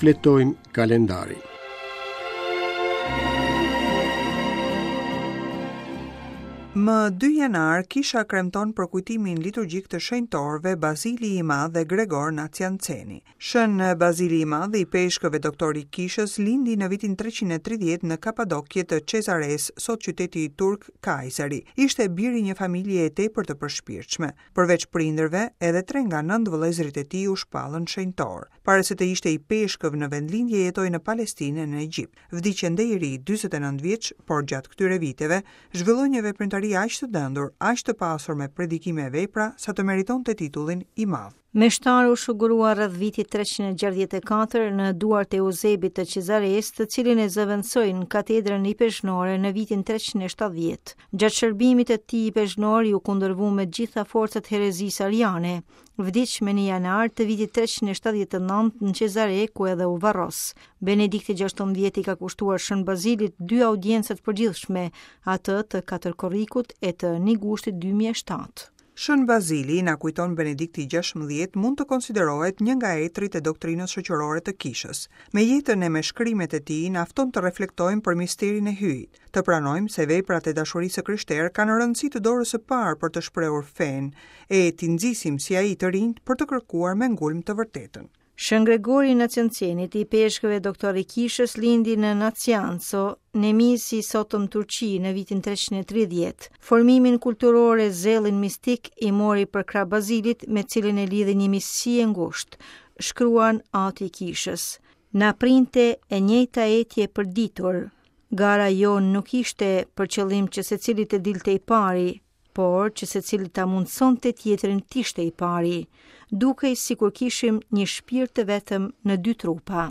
Shfletojmë kalendarin. Më 2 janar, kisha kremton përkujtimin liturgjik të shenjtorëve Bazili i Madh dhe Gregor Nacianceni. Shën Bazili i Madh, ipeshkëv e doktor i kishës, lindi në vitin 330 në Kapadokje të Cezaresë, sot qyteti turk Kayseri. Ishte bir i një familjeje tepër të përshpirtshme. Përveç prindërve, edhe tre nga nëntë vëllezërit e tij u shpallën shenjtorë. Para se të ishte ipeshkëv në vendlindje jetoi në Palestinë e në Egjipt. Vdiq ende i ri, 49 vjeç, por gjatë këtyre viteve zhvilloi një veprimtari aq të dendur, aq të pasur me predikime e vepra, sa të meritonte titullin i Madh. Meshtar u shugurua rreth vitit 364 në duart e Euzebit të Cezaresë, të cilin e zëvendësoi në katedrën ipeshkvnore në vitin 370. Gjatë shërbimit të tij ipeshkvnor iu kundërvu me të gjitha forcat herezisë ariane. Vdiq më 1 janar të vitit 379 në Cezare, ku edhe u varros. Benedikti XVI i ka kushtuar Shën Bazilit dy audienca të përgjithshme, atë të 4 korrikut e të 1 gushtit 2007. Shën Bazili, na kujton Benedikti XVI, mund të konsiderohet një nga etërit e doktrinës shoqërore të Kishës. Me jetën e me shkrimet e tij na fton të reflektojmë për misterin e Hyjit, të pranojmë se veprat e dashurisë së krishterë kanë rëndësi të dorës së parë për të shprehur fenë, e t'i nxisim si ai të rinjtë për të kërkuar me ngulm të vërtetën. Shën Gregori i Naciancenit, ipeshkëv e doktor i Kishës, lindi në Nacianco, Nemisi i sotëm Turqi, në vitin 330. Formimin kulturor e zellin mistik i mori përkrah Bazilit, me cilin e lidhi një miqësi e ngushtë, shkruan ati i Kishës. Na printe e njëjta etje për ditur. Gara jonë nuk ishte për qëllim që secili të dilte i pari, por që secili ta mundësonte tjetrin të ishte i pari, dukej sikur kishim një shpirt të vetëm në dy trupa.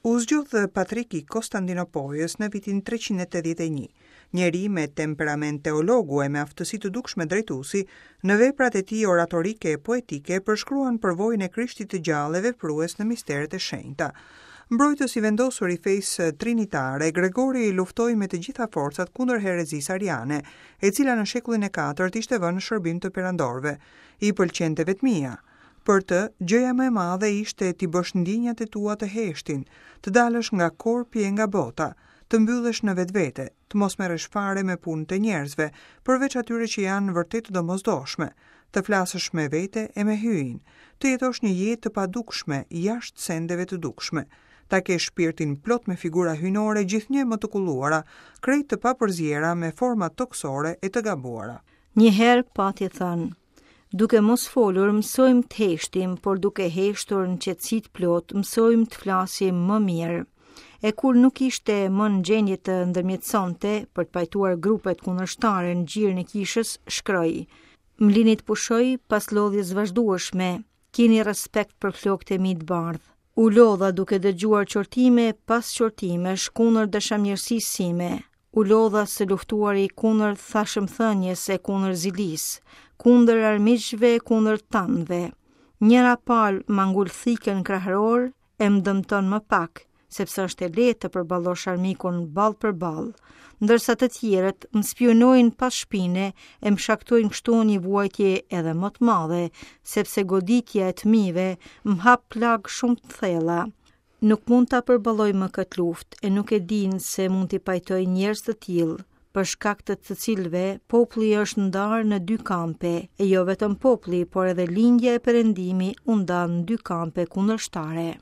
U zgjodh patrik i Kostandinopojës në vitin 381. Njeri me temperament teologu e me aftësi të dukshme drejtuesi, në veprat e tij oratorike e poetike përshkruan përvojën e Krishtit të gjallë e veprues në misteret e shenjta. Mbrojtës i vendosur i fesë trinitare, Gregori luftoi me të gjitha forcat kundër herezisë ariane, e cila në shekullin e katërt ishte vënë në shërbim të perandorëve. I pëlqente vetmia. Për të, gjëja më e madhe ishte t'i bësh ndjenjat e tua të heshtin, të dalësh nga korpi e nga bota, të mbyllesh në vetvete, të mos merresh fare me punët e njerëzve, përveç atyre që janë vërtet të domosdoshme, të flasësh me vete e me Hyjin, të jetosh një jetë të padukshme jashtë sendeve të dukshme, ta kesh shpirtin plot me figura hyjnore gjithnjë e më të kulluara, krejt të papërziera me forma tokësore e të gabuara. Një herë pati thënë, Duke mos folur, mësojmë të heshtim, por duke heshtur në qetësi të plotë, mësojmë të flasim më mirë. E kur nuk ishte më në gjendje të ndërmjetësonte për të pajtuar grupet kundërshtare në gjirin e kishës, shkroi: Më lini të pushoj pas lodhjes vazhdueshme, kini respekt për flokët e mi të bardhë. U lodha duke dëgjuar qortime pas qortimesh kundër dashamirësisë sime. U lodha së luftuari kundër thashethënies e kundër zilisë, kundër armiqve e kundër tanëve. Njëra palë ma ngul thikën në kraharor e më dëmton më pak, sepse është e lehtë të përballosh armikun ballë për ballë, ndërsa të tjerët më spiunojnë pas shpine e më shkaktojnë kështu një vuajtje edhe më të madhe, sepse goditja e të mijve më hap plagë shumë të thella. Nuk mund ta përballoj më këtë luftë e nuk e di nëse mund t'i pajtoj njerëz të tillë, për shkak të të cilëve populli është ndarë në dy kampe, e jo vetëm populli, por edhe lindja e perëndimi u ndanë në dy kampe kundërshtare.